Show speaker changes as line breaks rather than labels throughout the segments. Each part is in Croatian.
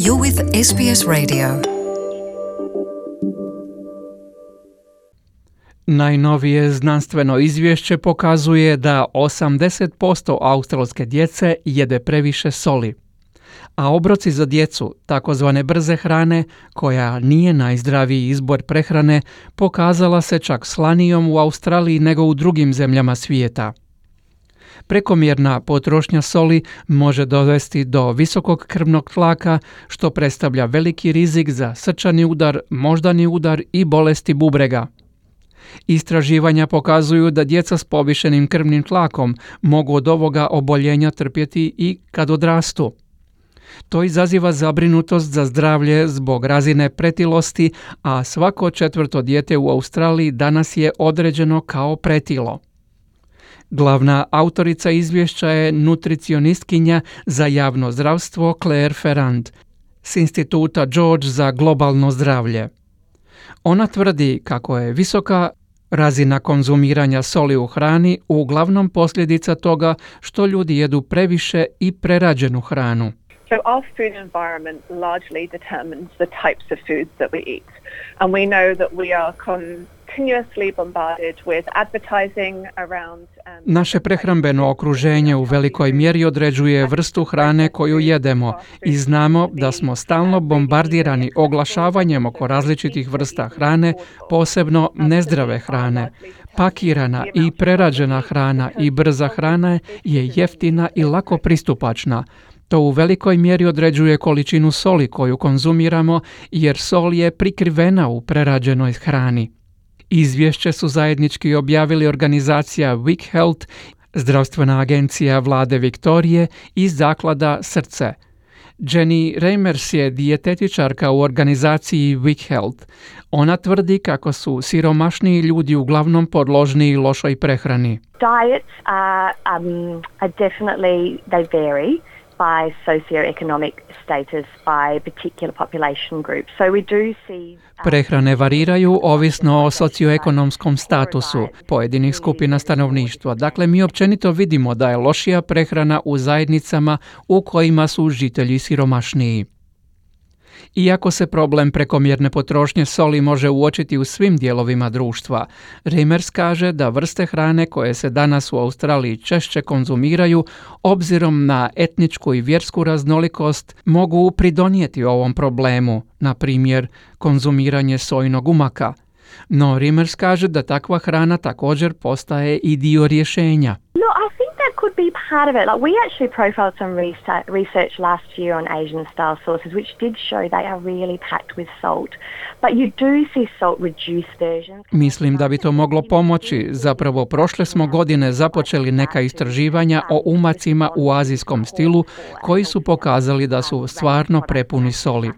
You're with SBS Radio.
Najnovije znanstveno izvješće pokazuje da 80% australske djece jede previše soli. A obroci za djecu, takozvane brze hrane, koja nije najzdraviji izbor prehrane, pokazala se čak slanijom u Australiji nego u drugim zemljama svijeta. Prekomjerna potrošnja soli može dovesti do visokog krvnog tlaka, što predstavlja veliki rizik za srčani udar, moždani udar i bolesti bubrega. Istraživanja pokazuju da djeca s povišenim krvnim tlakom mogu od ovoga oboljenja trpjeti i kad odrastu. To izaziva zabrinutost za zdravlje zbog razine pretilosti, a svako četvrto dijete u Australiji danas je određeno kao pretilo. Glavna autorica izvješća je nutricionistkinja za javno zdravstvo Claire Ferrand s instituta George za globalno zdravlje. Ona tvrdi kako je visoka razina konzumiranja soli u hrani uglavnom posljedica toga što ljudi jedu previše i prerađenu hranu.
So our food environment largely determines the types of foods that we eat. And we know that we are continuously bombarded with advertising around...
Naše prehrambeno okruženje u velikoj mjeri određuje vrstu hrane koju jedemo i znamo da smo stalno bombardirani oglašavanjem oko različitih vrsta hrane, posebno nezdrave hrane. Pakirana i prerađena hrana i brza hrana je jeftina i lako pristupačna. To u velikoj mjeri određuje količinu soli koju konzumiramo, jer sol je prikrivena u prerađenoj hrani. Izvješće su zajednički objavili organizacija Vic Health, zdravstvena agencija vlade Viktorije i zaklada Srce. Jenny Reimers je dijetetičarka u organizaciji Vic Health. Ona tvrdi kako su siromašniji ljudi uglavnom podložniji lošoj prehrani.
Diets are definitely, they vary by socioeconomic status, by particular population groups. So we do see
Prehrane variraju ovisno o socioekonomskom statusu pojedinih skupina stanovništva. Dakle, mi općenito vidimo da je lošija prehrana u zajednicama u kojima su žitelji siromašniji. Iako se problem prekomjerne potrošnje soli može uočiti u svim dijelovima društva, Reimers kaže da vrste hrane koje se danas u Australiji češće konzumiraju, obzirom na etničku i vjersku raznolikost, mogu pridonijeti ovom problemu, na primjer konzumiranje sojnog umaka. No Reimers kaže da takva hrana također postaje i dio rješenja.
could be part of it. Like, we actually profiled some research last year on Asian style sauces, which did show they are really packed with salt. But you do see salt reduced versions.
Mislim da bi to moglo pomoći. Zapravo prošle smo godine započeli neka istraživanja o umacima u azijskom stilu koji su pokazali da su stvarno prepuni soli.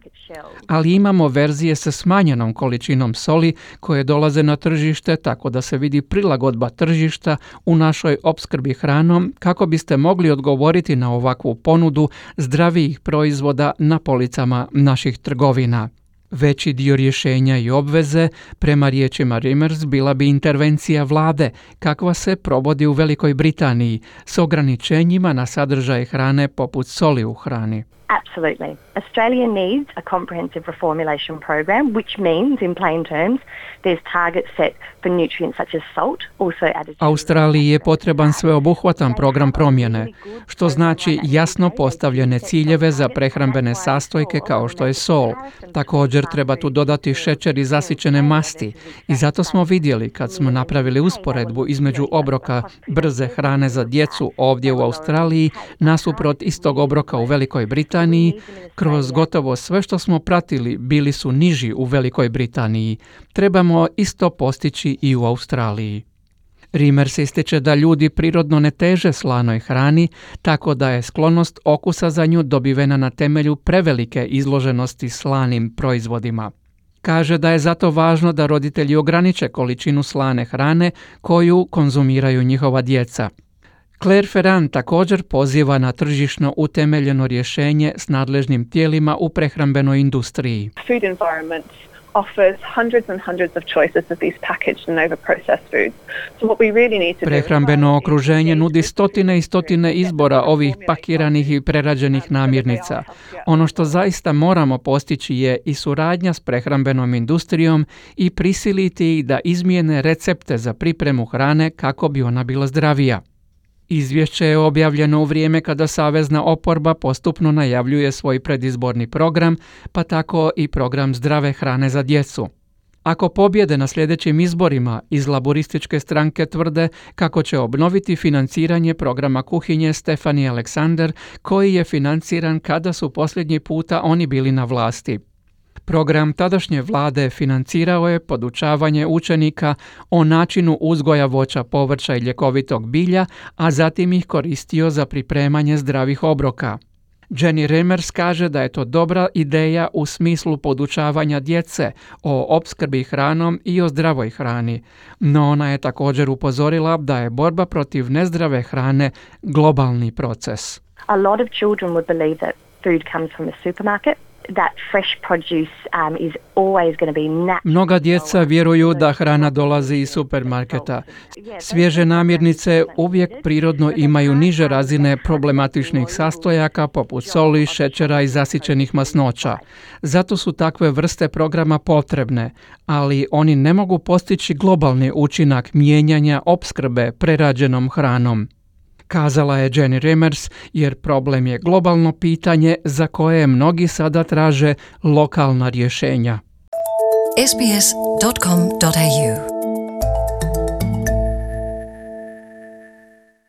Ali imamo verzije sa smanjenom količinom soli koje dolaze na tržište, tako da se vidi prilagodba tržišta u našoj opskrbi hranom kako biste mogli odgovoriti na ovakvu ponudu zdravijih proizvoda na policama naših trgovina. Veći dio rješenja i obveze, prema riječima Reimers, bila bi intervencija vlade, kakva se provodi u Velikoj Britaniji, s ograničenjima na sadržaj hrane poput soli u hrani.
Absolutely. Australia needs a comprehensive reformulation program, which means, in plain terms, there's targets set for nutrients such as salt, also added to...
Australiji je potreban sveobuhvatan program promjene, što znači jasno postavljene ciljeve za prehrambene sastojke kao što je sol. Također treba tu dodati šećer i zasićene masti. I zato smo vidjeli, kad smo napravili usporedbu između obroka brze hrane za djecu ovdje u Australiji nasuprot istog obroka u Velikoj Britaniji, kroz gotovo sve što smo pratili bili su niži u Velikoj Britaniji. Trebamo isto postići i u Australiji. Reimers ističe da ljudi prirodno ne teže slanoj hrani, tako da je sklonost okusa za nju dobivena na temelju prevelike izloženosti slanim proizvodima. Kaže da je zato važno da roditelji ograniče količinu slane hrane koju konzumiraju njihova djeca. Claire Ferrand također poziva na tržišno utemeljeno rješenje s nadležnim tijelima u prehrambenoj industriji.
Food environments offers hundreds and hundreds of choices of these packaged and over-processed foods. So what we really need to do
Prehrambeno okruženje nudi stotine i stotine izbora ovih pakiranih i prerađenih namirnica. Ono što zaista moramo postići je i suradnja s prehrambenom industrijom i prisiliti ih da izmijene recepte za pripremu hrane kako bi ona bila zdravija. Izvješće je objavljeno u vrijeme kada savezna oporba postupno najavljuje svoj predizborni program, pa tako i program zdrave hrane za djecu. Ako pobjede na sljedećim izborima, iz laborističke stranke tvrde kako će obnoviti financiranje programa kuhinje Stephanie Alexander, koji je financiran kada su posljednji puta oni bili na vlasti. Program tadašnje vlade financirao je podučavanje učenika o načinu uzgoja voća, povrća i ljekovitog bilja, a zatim ih koristio za pripremanje zdravih obroka. Jenny Remers kaže da je to dobra ideja u smislu podučavanja djece o opskrbi hranom i o zdravoj hrani, no ona je također upozorila da je borba protiv nezdrave hrane globalni proces.
A lot of children would believe that food comes from a supermarket. That fresh produce is always going to be natural.
Mnoga djeca vjeruju da hrana dolazi iz supermarketa. Svježe namirnice uvijek prirodno imaju niže razine problematičnih sastojaka poput soli, šećera i zasićenih masnoća. Zato su takve vrste programa potrebne, ali oni ne mogu postići globalni učinak mijenjanja opskrbe prerađenom hranom. Kazala je Jenny Remers, jer problem je globalno pitanje za koje mnogi sada traže lokalna rješenja.
sbs.com.au